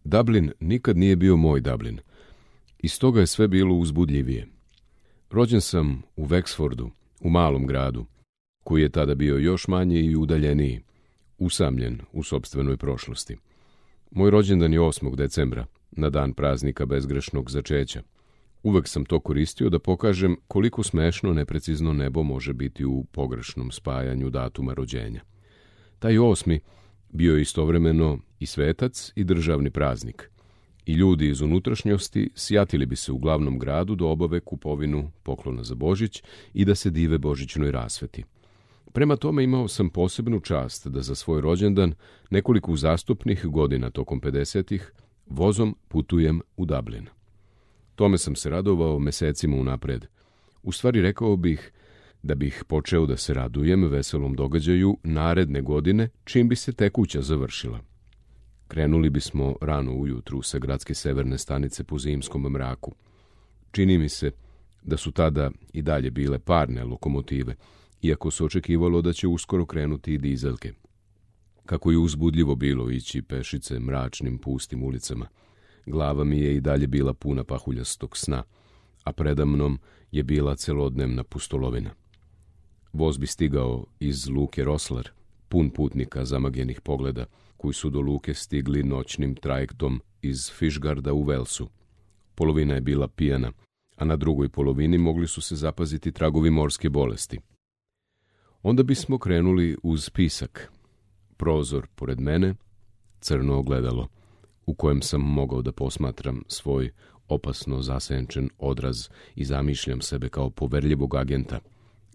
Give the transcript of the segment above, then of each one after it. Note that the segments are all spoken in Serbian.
Dublin nikad nije bio moj Dublin. I stoga je sve bilo uzbudljivije. Rođen sam u Wexfordu, u malom gradu, koji je tada bio još manji i udaljeniji, usamljen u sopstvenoj prošlosti. Moj rođendan je 8. decembra, na dan praznika bezgrešnog začeća. Uvek sam to koristio da pokažem koliko smešno neprecizno nebo može biti u pogrešnom spajanju datuma rođenja. Taj 8. bio je istovremeno i svetac i državni praznik. I ljudi iz unutrašnjosti sjatili bi se u glavnom gradu da obave kupovinu poklona za Božić i da se dive božićnoj rasveti. Prema tome imao sam posebnu čast da za svoj rođendan nekoliko uzastopnih godina tokom 50-ih vozom putujem u Dublin. Tome sam se radovao mesecima unapred. U stvari rekao bih da bih počeo da se radujem veselom događaju naredne godine čim bi se tekuća završila. Krenuli bismo rano ujutru sa gradske severne stanice po zimskom mraku. Čini mi se da su tada i dalje bile parne lokomotive, iako se očekivalo da će uskoro krenuti i dizelke. Kako je uzbudljivo bilo ići pešice mračnim pustim ulicama. Glava mi je i dalje bila puna pahuljastog sna, a predamnom je bila celodnevna pustolovina. Voz bi stigao iz luke Roslar, pun putnika zamagljenih pogleda, koji su do luke stigli noćnim trajektom iz Fishgarda u Velsu. Polovina je bila pijana, a na drugoj polovini mogli su se zapaziti tragovi morske bolesti. Onda bismo krenuli uz pisak. Prozor pored mene, crno ogledalo, u kojem sam mogao da posmatram svoj opasno zasenčen odraz i zamišljam sebe kao poverljivog agenta,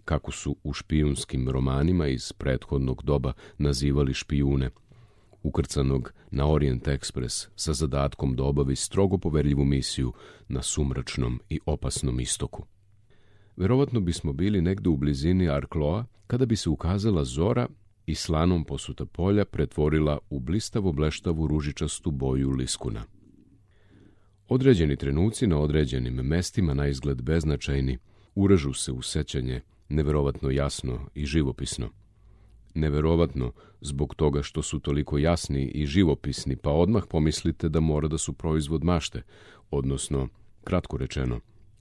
kako su u špijunskim romanima iz prethodnog doba nazivali špijune, ukrcanog na Orient Express sa zadatkom da obavi strogo poverljivu misiju na sumračnom i opasnom istoku. Verovatno bismo bili negde u blizini Arkloa kada bi se ukazala zora i slanom posuta polja pretvorila u blistavo bleštavu ružičastu boju liskuna. Određeni trenuci na određenim mestima, na izgled beznačajni, uražu se u sećanje neverovatno jasno i živopisno. Neverovatno zbog toga što su toliko jasni i živopisni, pa odmah pomislite da mora da su proizvod mašte, odnosno, kratko rečeno,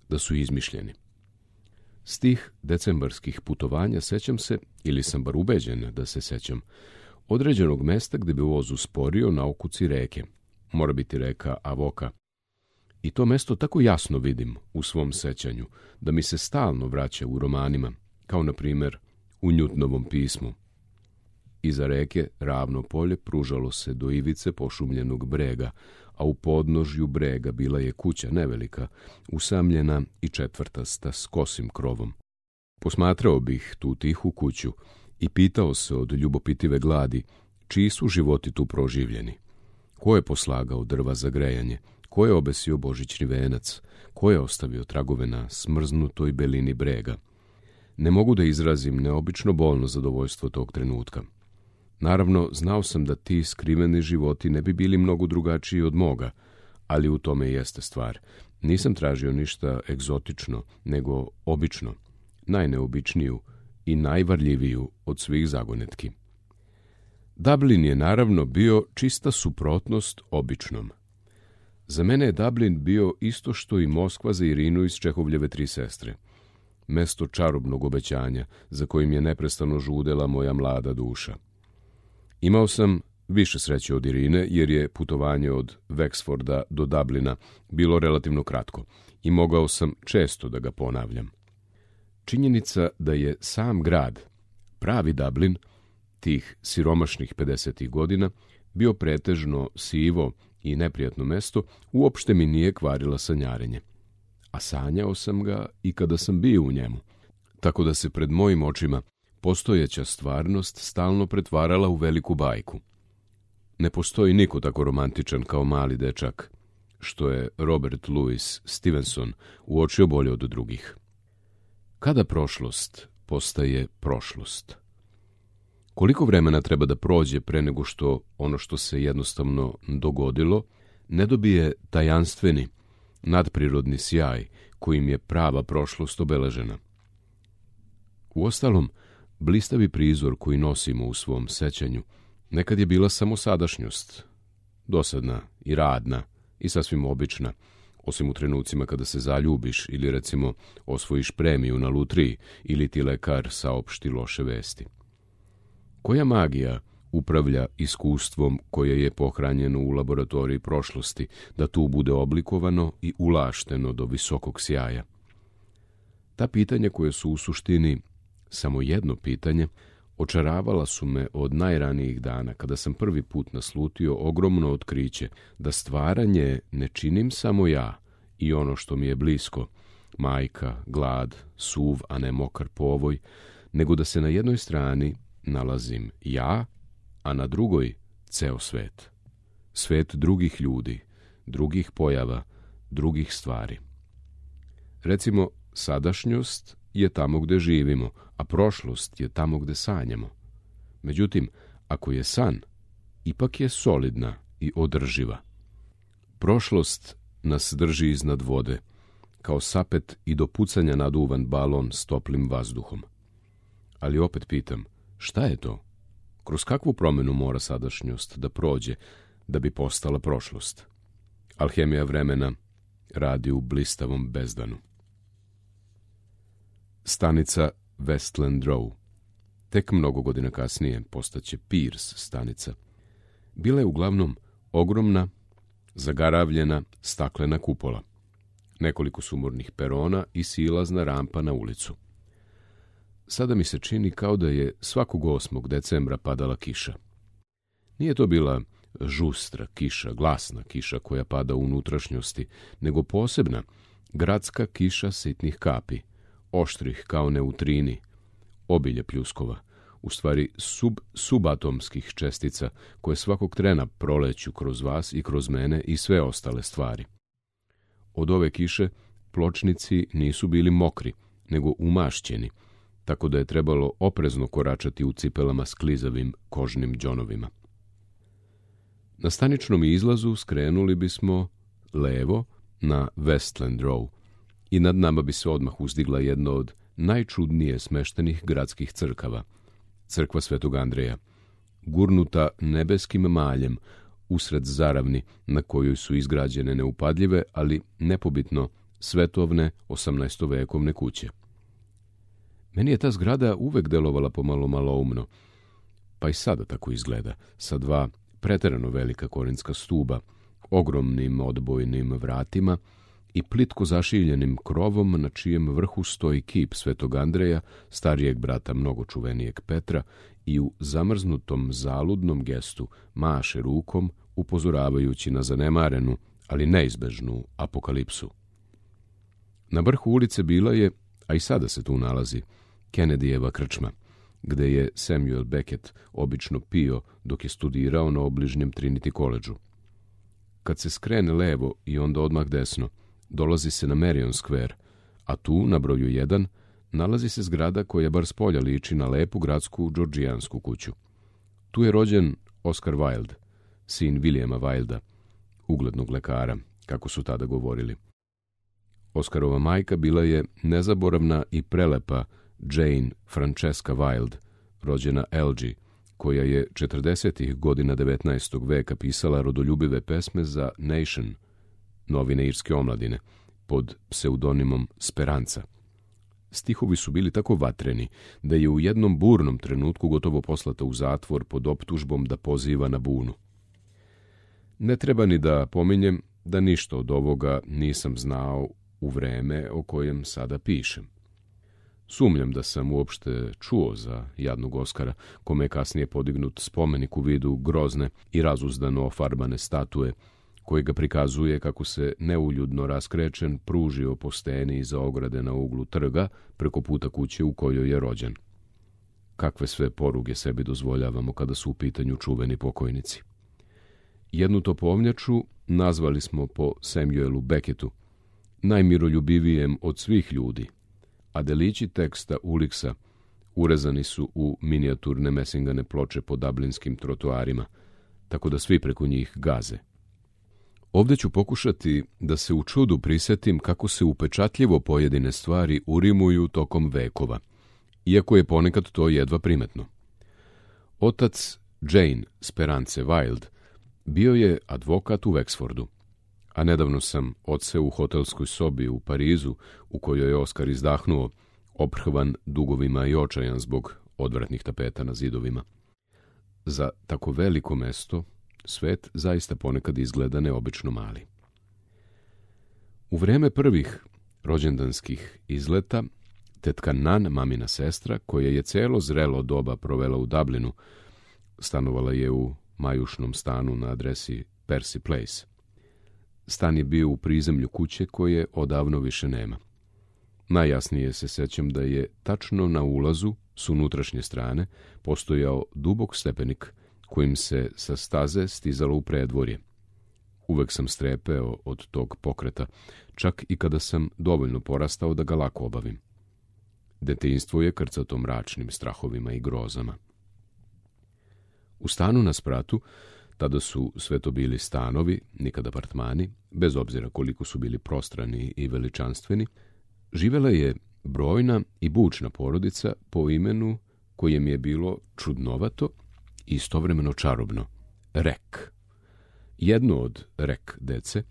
da su izmišljeni. S tih decembarskih putovanja sećam se, ili sam bar ubeđen da se sećam, određenog mesta gde bi voz usporio na okuci reke. Mora biti reka Avoka. I to mesto tako jasno vidim u svom sećanju, da mi se stalno vraća u romanima, kao na primer u Njutnovom pismu. Iza reke ravno polje pružalo se do ivice pošumljenog brega, a u podnožju brega bila je kuća nevelika, usamljena i četvrtasta s kosim krovom. Posmatrao bih tu tihu kuću i pitao se od ljubopitive gladi čiji su životi tu proživljeni. Ko je poslagao drva za grejanje, ko je obesio božićni venac, ko je ostavio tragove na smrznutoj belini brega. Ne mogu da izrazim neobično bolno zadovoljstvo tog trenutka. Naravno, znao sam da ti skriveni životi ne bi bili mnogo drugačiji od moga, ali u tome jeste stvar. Nisam tražio ništa egzotično, nego obično, najneobičniju i najvarljiviju od svih zagonetki. Dublin je naravno bio čista suprotnost običnom. Za mene je Dublin bio isto što i Moskva za Irinu iz Čehovljeve Tri sestre. Mesto čarobnog obećanja, za kojim je neprestano žudela moja mlada duša. Imao sam više sreće od Irine, jer je putovanje od Wexforda do Dublina bilo relativno kratko i mogao sam često da ga ponavljam. Činjenica da je sam grad, pravi Dublin, tih siromašnih 50. godina, bio pretežno sivo i neprijatno mesto, uopšte mi nije kvarila sanjarenje. A sanjao sam ga i kada sam bio u njemu, tako da se pred mojim očima postojeća stvarnost stalno pretvarala u veliku bajku. Ne postoji niko tako romantičan kao mali dečak, što je Robert Louis Stevenson uočio bolje od drugih. Kada prošlost postaje prošlost? Koliko vremena treba da prođe pre nego što ono što se jednostavno dogodilo ne dobije tajanstveni, nadprirodni sjaj kojim je prava prošlost obeležena? Uostalom, blistavi prizor koji nosimo u svom sećanju nekad je bila samo sadašnjost, dosadna i radna i sasvim obična, osim u trenucima kada se zaljubiš ili recimo osvojiš premiju na lutriji ili ti lekar saopšti loše vesti. Koja magija upravlja iskustvom koje je pohranjeno u laboratoriji prošlosti, da tu bude oblikovano i ulašteno do visokog sjaja? Ta pitanja koje su u suštini samo jedno pitanje, očaravala su me od najranijih dana, kada sam prvi put naslutio ogromno otkriće da stvaranje ne činim samo ja i ono što mi je blisko, majka, glad, suv, a ne mokar povoj, nego da se na jednoj strani nalazim ja, a na drugoj ceo svet. Svet drugih ljudi, drugih pojava, drugih stvari. Recimo, sadašnjost je tamo gde živimo, a prošlost je tamo gde sanjamo. Međutim, ako je san, ipak je solidna i održiva. Prošlost nas drži iznad vode, kao sapet i do pucanja naduvan balon s toplim vazduhom. Ali opet pitam, šta je to? Kroz kakvu promenu mora sadašnjost da prođe da bi postala prošlost? Alhemija vremena radi u blistavom bezdanu. Stanica Westland Row. Tek mnogo godina kasnije postaće Pierce stanica. Bila je uglavnom ogromna, zagaravljena staklena kupola, nekoliko sumornih perona i silazna rampa na ulicu. Sada mi se čini kao da je svakog 8. decembra padala kiša. Nije to bila žustra kiša, glasna kiša koja pada u unutrašnjosti, nego posebna, gradska kiša sitnih kapi, oštrih kao neutrini, obilje pljuskova, u stvari subatomskih čestica koje svakog trena proleću kroz vas i kroz mene i sve ostale stvari. Od ove kiše pločnici nisu bili mokri, nego umašćeni, tako da je trebalo oprezno koračati u cipelama s klizavim kožnim đonovima. Na staničnom izlazu skrenuli bismo levo na Westland Row i nad nama bi se odmah uzdigla jedna od najčudnije smeštenih gradskih crkava, crkva Svetog Andreja, gurnuta nebeskim maljem usred zaravni na kojoj su izgrađene neupadljive, ali nepobitno svetovne 18-vekovne kuće. Meni je ta zgrada uvek delovala pomalo maloumno, pa i sada tako izgleda, sa 2 preterano velika korinska stuba, ogromnim odbojnim vratima i plitko zašiljenim krovom na čijem vrhu stoji kip Svetog Andreja, starijeg brata mnogo čuvenijeg Petra, i u zamrznutom zaludnom gestu maše rukom, upozoravajući na zanemarenu, ali neizbežnu apokalipsu. Na vrhu ulice bila je, a i sada se tu nalazi, Kennedyjeva krčma, gde je Samuel Beckett obično pio dok je studirao na obližnjem Trinity College-u. Kad se skrene levo i onda odmah desno, dolazi se na Marion Square, a tu, na broju 1, nalazi se zgrada koja bar spolja liči na lepu gradsku džordžijansku kuću. Tu je rođen Oscar Wilde, sin Williama Wilda, uglednog lekara, kako su tada govorili. Oscarova majka bila je nezaboravna i prelepa Jane Francesca Wilde, rođena Elgee, koja je 40. godina 19. veka pisala rodoljubive pesme za Nation, novine irske omladine, pod pseudonimom Speranca. Stihovi su bili tako vatreni da je u jednom burnom trenutku gotovo poslata u zatvor pod optužbom da poziva na bunu. Ne treba ni da pominjem da ništa od ovoga nisam znao u vreme o kojem sada pišem. Sumnjam da sam uopšte čuo za jadnog Oskara, kome je kasnije podignut spomenik u vidu grozne i razuzdano ofarbane statue, koji ga prikazuje kako se neuljudno raskrečen pružio po steni iza ograde na uglu trga preko puta kuće u kojoj je rođen. Kakve sve poruge sebi dozvoljavamo kada su u pitanju čuveni pokojnici. Jednu topovnjaču nazvali smo po Samuelu Beckettu, najmiroljubivijem od svih ljudi, a delići teksta Uliksa urezani su u minijaturne mesingane ploče po dublinskim trotoarima, tako da svi preko njih gaze. Ovdje ću pokušati da se u čudu prisetim kako se upečatljivo pojedine stvari urimuju tokom vekova, iako je ponekad to jedva primetno. Otac Jane Sperance Wilde Bio je advokat u Wexfordu, a nedavno sam odseo u hotelskoj sobi u Parizu, u kojoj je Oskar izdahnuo, oprhvan dugovima i očajan zbog odvratnih tapeta na zidovima. Za tako veliko mesto, svet zaista ponekad izgleda neobično mali. U vreme prvih rođendanskih izleta, tetka Nan, mamina sestra, koja je celo zrelo doba provela u Dublinu, stanovala je u majušnom stanu na adresi Percy Place. Stan je bio u prizemlju kuće koje odavno više nema. Najjasnije se sećam da je tačno na ulazu s unutrašnje strane postojao dubok stepenik kojim se sa staze stizalo u predvorje. Uvek sam strepeo od tog pokreta, čak i kada sam dovoljno porastao da ga lako obavim. Detinjstvo je krcato mračnim strahovima i grozama. U stanu na spratu, tada su sve to bili stanovi, nikad apartmani, bez obzira koliko su bili prostrani i veličanstveni, živela je brojna i bučna porodica po imenu koje mi je bilo čudnovato i istovremeno čarobno, Rek. Jedno od Rek dece,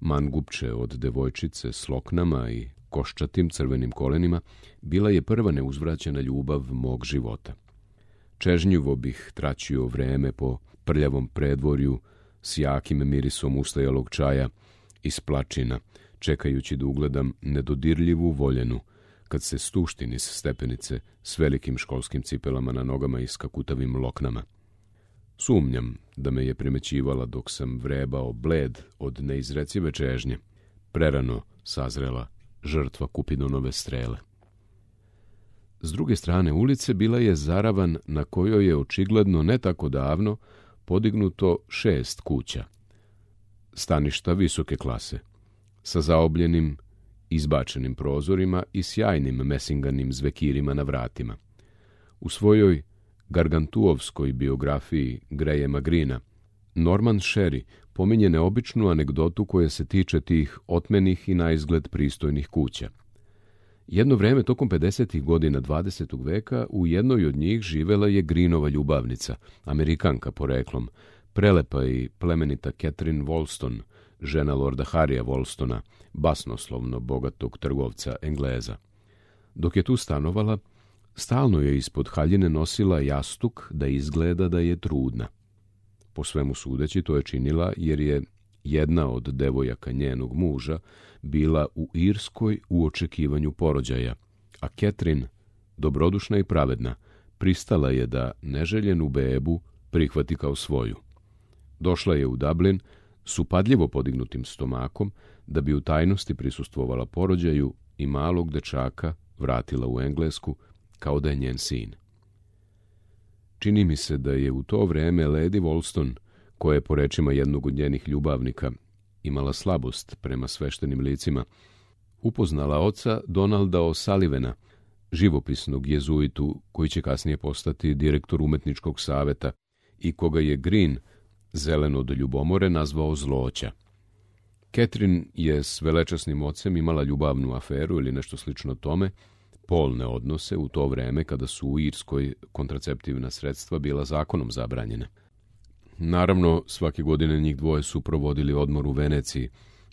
mangupče od devojčice s loknama i koščatim crvenim kolenima, bila je prva neuzvraćena ljubav mog života. Čežnjivo bih traćio vreme po prljavom predvorju s jakim mirisom ustajalog čaja iz plačina, čekajući da ugledam nedodirljivu voljenu, kad se stušti niz stepenice s velikim školskim cipelama na nogama i skakutavim loknama. Sumnjam da me je primećivala dok sam vrebao bled od neizrecive čežnje, prerano sazrela žrtva Kupidonove strele. S druge strane ulice bila je zaravan na kojoj je očigledno ne tako davno podignuto 6 kuća. Staništa visoke klase, sa zaobljenim, izbačenim prozorima i sjajnim mesinganim zvekirima na vratima. U svojoj gargantuovskoj biografiji Grahama Greena, Norman Sherry pominje neobičnu anegdotu koja se tiče tih otmenih i naizgled pristojnih kuća. Jedno vreme tokom 50. godina 20. veka u jednoj od njih živela je Greenova ljubavnica, Amerikanka poreklom, prelepa i plemenita Catherine Wolston, žena lorda Harrya Wolstona, basnoslovno bogatog trgovca Engleza. Dok je tu stanovala, stalno je ispod haljine nosila jastuk da izgleda da je trudna. Po svemu sudeći to je činila jer je jedna od devojaka njenog muža bila u Irskoj u očekivanju porođaja, a Catherine, dobrodušna i pravedna, pristala je da neželjenu bebu prihvati kao svoju. Došla je u Dublin s upadljivo podignutim stomakom da bi u tajnosti prisustvovala porođaju i malog dečaka vratila u Englesku kao da je njen sin. Čini mi se da je u to vreme Lady Wolston, koja je po rečima jednog od njenih ljubavnika imala slabost prema sveštenim licima, upoznala oca Donalda O'Sullivana, živopisnog jezuitu koji će kasnije postati direktor umetničkog saveta i koga je Green, zelen od ljubomore, nazvao zloća. Catherine je s velečasnim ocem imala ljubavnu aferu ili nešto slično tome, polne odnose u to vreme kada su u Irskoj kontraceptivna sredstva bila zakonom zabranjena. Naravno, svake godine njih dvoje su provodili odmor u Veneciji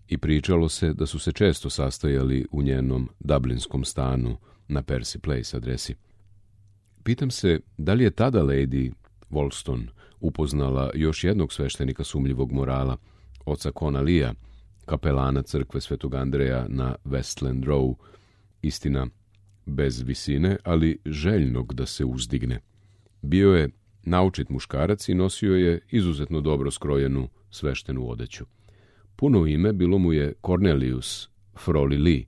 i pričalo se da su se često sastajali u njenom dublinskom stanu na Percy Place adresi. Pitam se da li je tada Lady Wolston upoznala još jednog sveštenika sumnjivog morala, oca Cona Leea, kapelana crkve Svetog Andreja na Westland Row, istina bez visine, ali željnog da se uzdigne. Bio je naučit muškarac i nosio je izuzetno dobro skrojenu sveštenu odeću. Puno ime bilo mu je Cornelius Froli Lee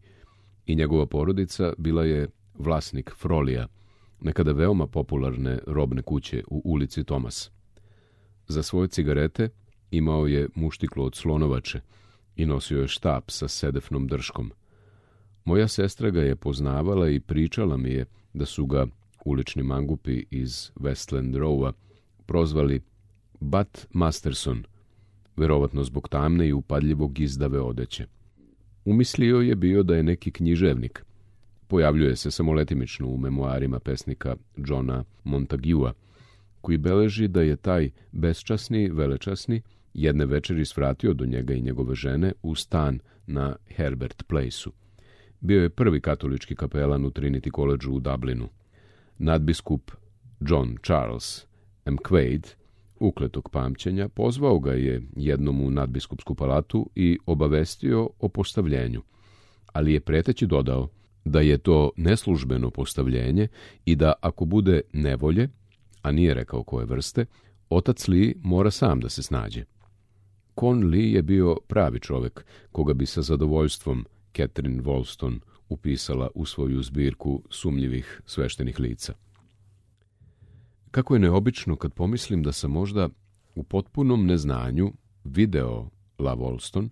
i njegova porodica bila je vlasnik Frolija, nekada veoma popularne robne kuće u ulici Thomas. Za svoje cigarete imao je muštiklo od slonovače i nosio je štap sa sedefnom drškom. Moja sestra ga je poznavala i pričala mi je da su ga ulični mangupi iz Westland Rowa prozvali Bat Masterson, verovatno zbog tamne i upadljivog izdave odeće. Umislio je bio da je neki književnik. Pojavljuje se samo letimično u memoarima pesnika Johna Montaguea, koji beleži da je taj besčasni, velečasni, jedne večeri svratio do njega i njegove žene u stan na Herbert Placeu. Bio je prvi katolički kapelan u Trinity Collegeu u Dublinu. Nadbiskup John Charles McQuaid, ukletog pamćenja, pozvao ga je jednom u nadbiskupsku palatu i obavestio o postavljenju, ali je preteći dodao da je to neslužbeno postavljenje i da ako bude nevolje, a nije rekao koje vrste, otac Lee mora sam da se snađe. Con Lee je bio pravi čovek, koga bi sa zadovoljstvom Catherine Wolston upisala u svoju zbirku sumnjivih sveštenih lica. Kako je neobično kad pomislim da sam možda u potpunom neznanju video La Wolston,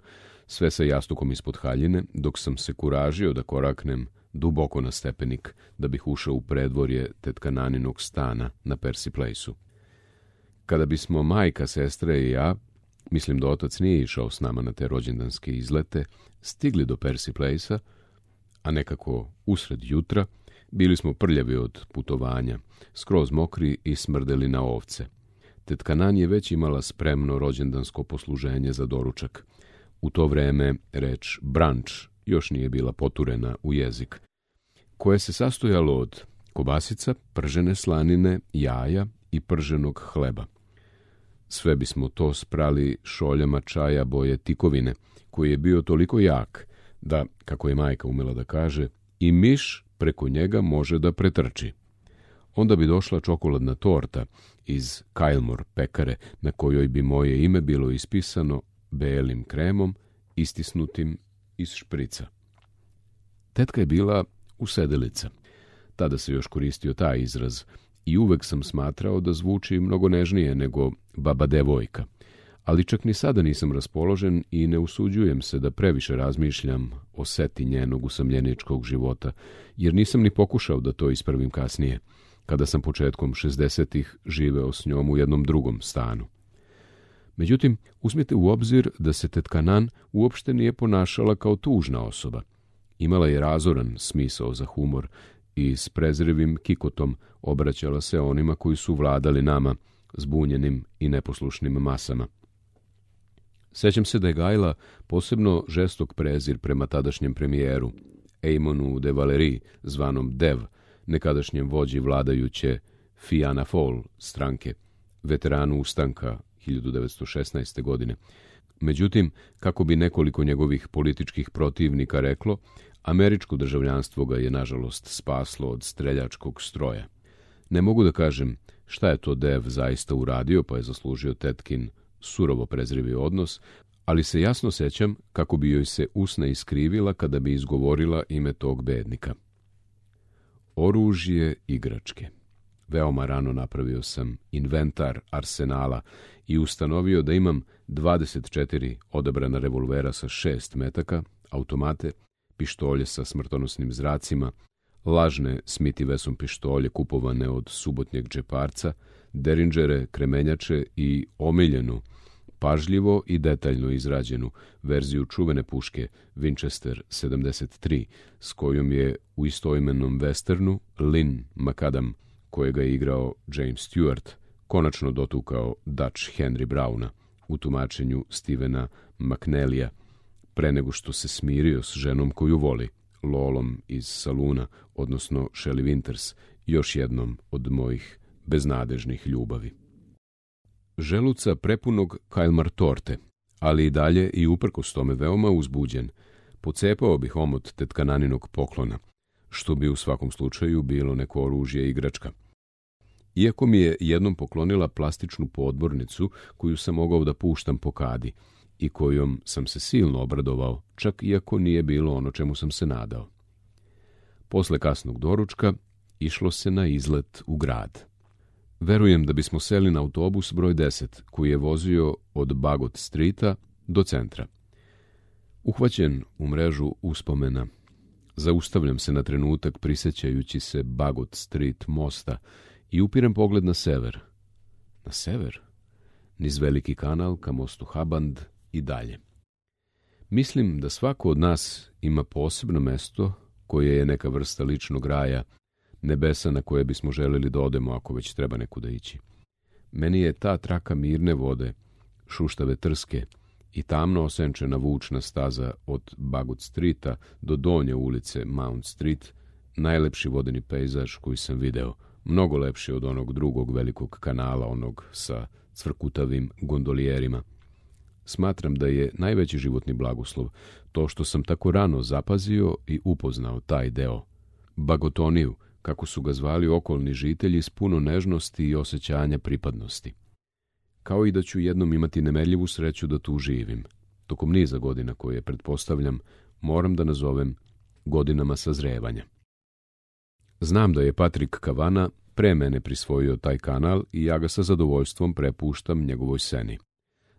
sve sa jastukom ispod haljine, dok sam se kuražio da koraknem duboko na stepenik da bih ušao u predvorje tetkanaниnog stana na Percy Placeu. Kada bismo majka, sestra i ja, mislim da otac nije išao s nama na te rođendanske izlete, stigli do Percy Placea, a nekako usred jutra, bili smo prljavi od putovanja, skroz mokri i smrdeli na ovce. Tetka Nan je već imala spremno rođendansko posluženje za doručak. U to vreme reč brunch još nije bila poturena u jezik, koje se sastojalo od kobasica, pržene slanine, jaja i prženog hleba. Sve bismo to sprali šoljama čaja boje tikovine, koji je bio toliko jak da, kako je majka umela da kaže, i miš preko njega može da pretrči. Onda bi došla čokoladna torta iz Kylmore pekare, na kojoj bi moje ime bilo ispisano belim kremom, istisnutim iz šprica. Tetka je bila usedelica. Tada se još koristio taj izraz i uvek sam smatrao da zvuči mnogo nežnije nego baba devojka. Ali čak ni sada nisam raspoložen i ne usuđujem se da previše razmišljam o seti njenog usamljeničkog života, jer nisam ni pokušao da to ispravim kasnije, kada sam početkom 60-ih živeo s njom u jednom drugom stanu. Međutim, uzmite u obzir da se tetka Nan uopšte nije ponašala kao tužna osoba. Imala je razoran smisao za humor i s prezrivim kikotom obraćala se onima koji su vladali nama, zbunjenim i neposlušnim masama. Sećam se da je gajila posebno žestok prezir prema tadašnjem premijeru, Eamonu de Valerie, zvanom Dev, nekadašnjem vođi vladajuće Fianna Fáil stranke, veteranu ustanka 1916. godine. Međutim, kako bi nekoliko njegovih političkih protivnika reklo, američko državljanstvo ga je nažalost spaslo od streljačkog stroja. Ne mogu da kažem šta je to Dev zaista uradio pa je zaslužio tetkin surovo prezrivi odnos, ali se jasno sećam kako bi joj se usna iskrivila kada bi izgovorila ime tog bednika. Oružje igračke. Veoma rano napravio sam inventar arsenala i ustanovio da imam 24 odabrana revolvera sa 6 metaka, automate, pištolje sa smrtonosnim zracima, lažne Smith & Wesson pištolje kupovane od subotnjeg džeparca, derinđere, kremenjače i omiljenu, pažljivo i detaljno izrađenu verziju čuvene puške Winchester 73, s kojom je u istoimenom westernu Lynn McAdam, kojega je igrao James Stewart, konačno dotukao Dutch Henry Browna u tumačenju Stevena McNellija, pre nego što se smirio s ženom koju voli, Lolom iz Saluna, odnosno Shelley Winters, još jednom od mojih beznadežnih ljubavi. Želuca prepunog Kylmore torte, ali i dalje i uprkos tome veoma uzbuđen, pocepao bih omot tetkananinog poklona, što bi u svakom slučaju bilo neko oružje igračka. Iako mi je jednom poklonila plastičnu podmornicu koju sam mogao da puštam po kadi i kojom sam se silno obradovao, čak iako nije bilo ono čemu sam se nadao. Posle kasnog doručka išlo se na izlet u grad. Verujem da bismo seli na autobus broj 10, koji je vozio od Bagot Streeta do centra. Uhvaćen u mrežu uspomena, zaustavljam se na trenutak prisećajući se Bagot Street mosta i upirem pogled na sever. Na sever? Niz veliki kanal ka mostu Haband i dalje. Mislim da svako od nas ima posebno mesto koje je neka vrsta ličnog raja, nebesa na koje bismo želeli da odemo ako već treba nekuda ići. Meni je ta traka mirne vode, šuštave trske i tamno osenčena vučna staza od Bagot Streeta do donje ulice Mount Street, najlepši vodeni pejzaž koji sam video, mnogo lepši od onog drugog velikog kanala, onog sa cvrkutavim gondolijerima. Smatram da je najveći životni blagoslov to što sam tako rano zapazio i upoznao taj deo. Bagotoniju, kako su ga zvali okolni žitelji, s puno nežnosti i osjećanja pripadnosti. Kao i da ću jednom imati nemerljivu sreću da tu živim. Tokom niza godina koje, pretpostavljam, moram da nazovem godinama sazrevanja. Znam da je Patrick Kavana pre mene prisvojio taj kanal i ja ga sa zadovoljstvom prepuštam njegovoj seni.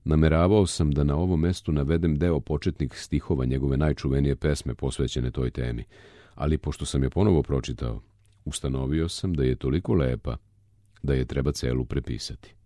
Nameravao sam da na ovom mestu navedem deo početnih stihova njegove najčuvenije pesme posvećene toj temi, ali pošto sam je ponovo pročitao, ustanovio sam da je toliko lepa da je treba celu prepisati.